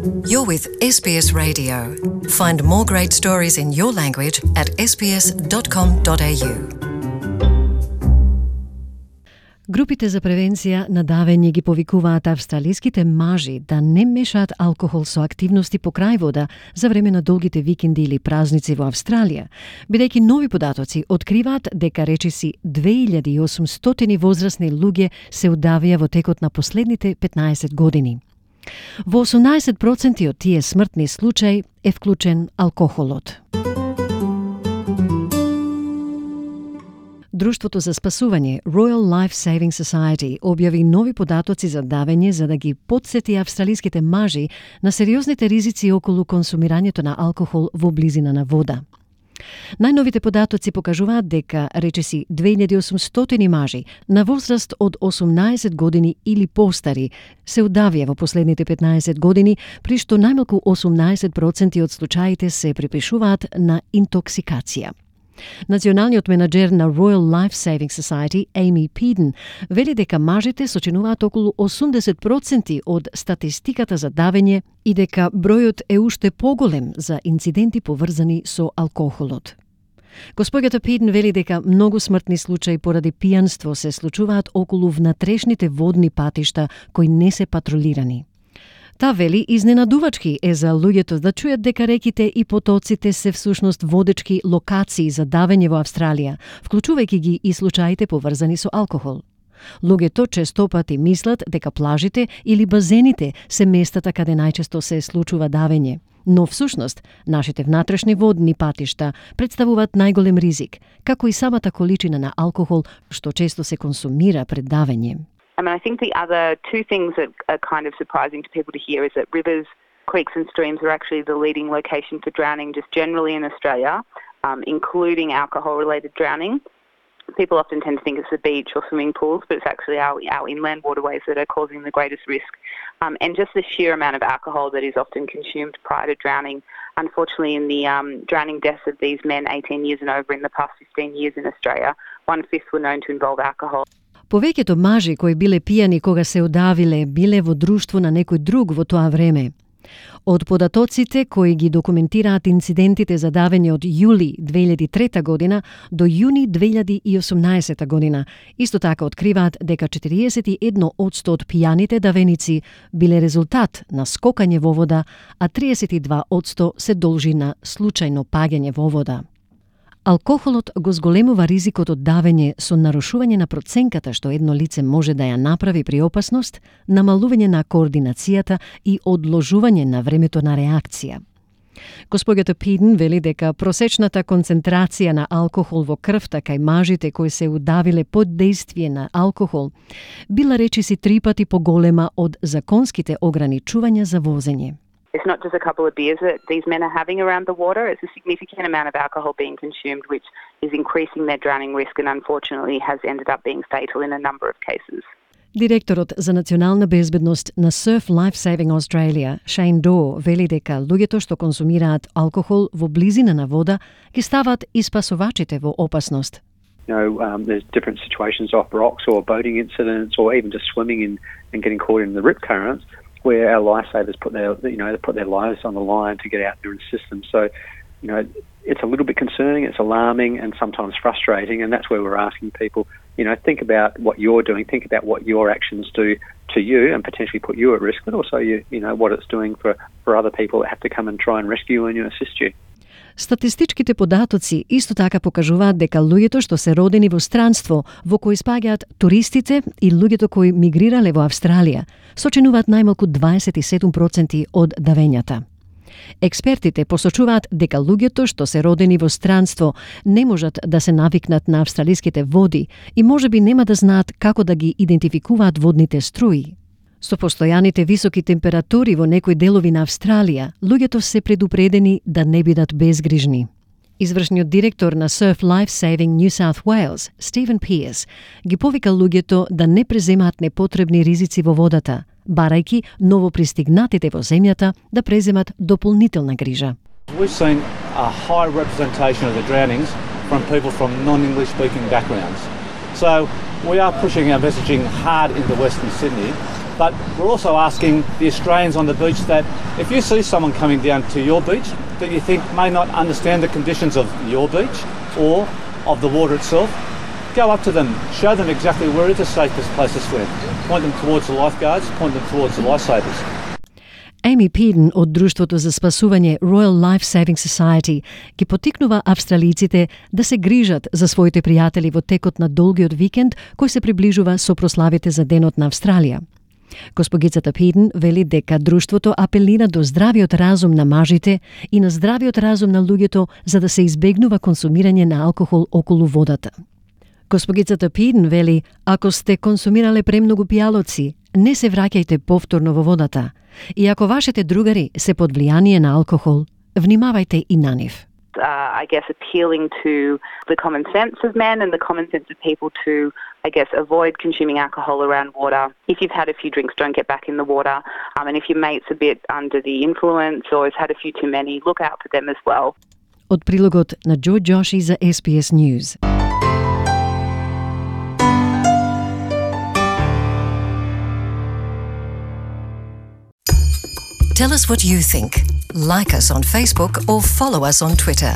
You're with SBS Radio. Find more great stories in your language at sbs.com.au. Групите за превенција на давење ги повикуваат австралиските мажи да не мешаат алкохол со активности покрај вода за време на долгите викенди или празници во Австралија, бидејќи нови податоци откриваат дека речиси 2800 возрастни луѓе се удавија во текот на последните 15 години. Во 18% од тие смртни случаи е вклучен алкохолот. Друштвото за спасување Royal Life Saving Society објави нови податоци за давење за да ги потсети австралиските мажи на сериозните ризици околу консумирањето на алкохол во близина на вода. Најновите податоци покажуваат дека речиси 2800 мажи на возраст од 18 години или постари се удавија во последните 15 години, при што најмалку 18% од случаите се припишуваат на интоксикација. Националниот менаџер на Royal Life Saving Society, Amy Peden, вели дека мажите сочинуваат околу 80% од статистиката за давење и дека бројот е уште поголем за инциденти поврзани со алкохолот. Господјата Пиден вели дека многу смртни случаи поради пијанство се случуваат околу внатрешните водни патишта кои не се патролирани. Та вели изненадувачки е за луѓето да чујат дека реките и потоците се всушност водечки локации за давење во Австралија, вклучувајќи ги и случаите поврзани со алкохол. Луѓето честопати мислат дека плажите или базените се местата каде најчесто се случува давење, но всушност нашите внатрешни водни патишта представуваат најголем ризик, како и самата количина на алкохол што често се консумира пред давење. I think the other two things that are kind of surprising to people to hear is that rivers, creeks and streams are actually the leading location for drowning just generally in Australia, including alcohol-related drowning. People often tend to think it's the beach or swimming pools, but it's actually our inland waterways that are causing the greatest risk. And just the sheer amount of alcohol that is often consumed prior to drowning. Unfortunately, in the drowning deaths of these men 18 years and over in the past 15 years in Australia, 1/5 were known to involve alcohol. Повеќето мажи кои биле пијани кога се удавиле, биле во друштво на некој друг во тоа време. Од податоците кои ги документираат инцидентите за давење од јули 2003 година до јуни 2018 година, исто така откриваат дека 41% од пијаните давеници биле резултат на скокање во вода, а 32% се должи на случајно паѓање во вода. Алкохолот го зголемува ризикот од давење со нарушување на проценката што едно лице може да ја направи при опасност, намалување на координацијата и одложување на времето на реакција. Господјата Пиден вели дека просечната концентрација на алкохол во крвта кај мажите кои се удавиле под дејствие на алкохол била речиси 3 пати поголема од законските ограничувања за возење. It's not just a couple of beers that these men are having around the water. It's a significant amount of alcohol being consumed, which is increasing their drowning risk and unfortunately has ended up being fatal in a number of cases. Директорот за национална безбедност на Surf Life Saving Australia, Shane Daw, вели дека луѓето што консумираат алкохол во близина на вода ги стават и спасувачите во опасност. There's different situations off rocks or boating incidents or even just swimming and getting caught in the rip currents, where our lifesavers put their lives on the line to get out there and assist them. So, it's a little bit concerning, it's alarming, and sometimes frustrating, and that's where we're asking people, think about what you're doing, think about what your actions do to you and potentially put you at risk, but also what it's doing for other people that have to come and try and rescue you and assist you. Статистичките податоци исто така покажуваат дека луѓето што се родени во странство, во кои спаѓаат туристите и луѓето кои мигрирале во Австралија, сочинуваат најмалку 27% од давењата. Експертите посочуваат дека луѓето што се родени во странство не можат да се навикнат на австралиските води и можеби нема да знаат како да ги идентификуваат водните струи. Со постојаните високи температури во некои делови на Австралија, луѓето се предупредени да не бидат безгрижни. Извршниот директор на Surf Life Saving New South Wales, Stephen Pearce, ги повика луѓето да не преземаат непотребни ризици во водата, барајќи новопристигнатите во земјата да преземат дополнителна грижа. We've seen a high representation of the drownings from people from non-English speaking backgrounds. So we are pushing our messaging hard into Western Sydney But we're also asking the Australians on the beach that if you see someone coming down to your beach that you think may not understand the conditions of your beach or of the water itself, go up to them, show them exactly where is the safest place to swim. Point them towards the lifeguards, point them towards the lifesavers. Amy Peden од Друштвото за спасување Royal Life Saving Society ги потикнува австралиците да се грижат за своите пријатели во текот на долгиот викенд кој се приближува со прославите за Денот на Австралија. Госпогицата Педен вели дека друштвото апелира до здравиот разум на мажите и на здравиот разум на луѓето за да се избегнува консумирање на алкохол околу водата. Госпогицата Педен вели, ако сте консумирале премногу пијалоци, не се враќајте повторно во водата. И ако вашите другари се под влијание на алкохол, внимавајте и на нив. I guess appealing to the common sense of men and the common sense of people to, I guess, avoid consuming alcohol around water. If you've had a few drinks, don't get back in the water. And if your mate's a bit under the influence or has had a few too many, look out for them as well. Од прилогот на Джо Джоши за SBS News. Tell us what you think. Like us on Facebook or follow us on Twitter.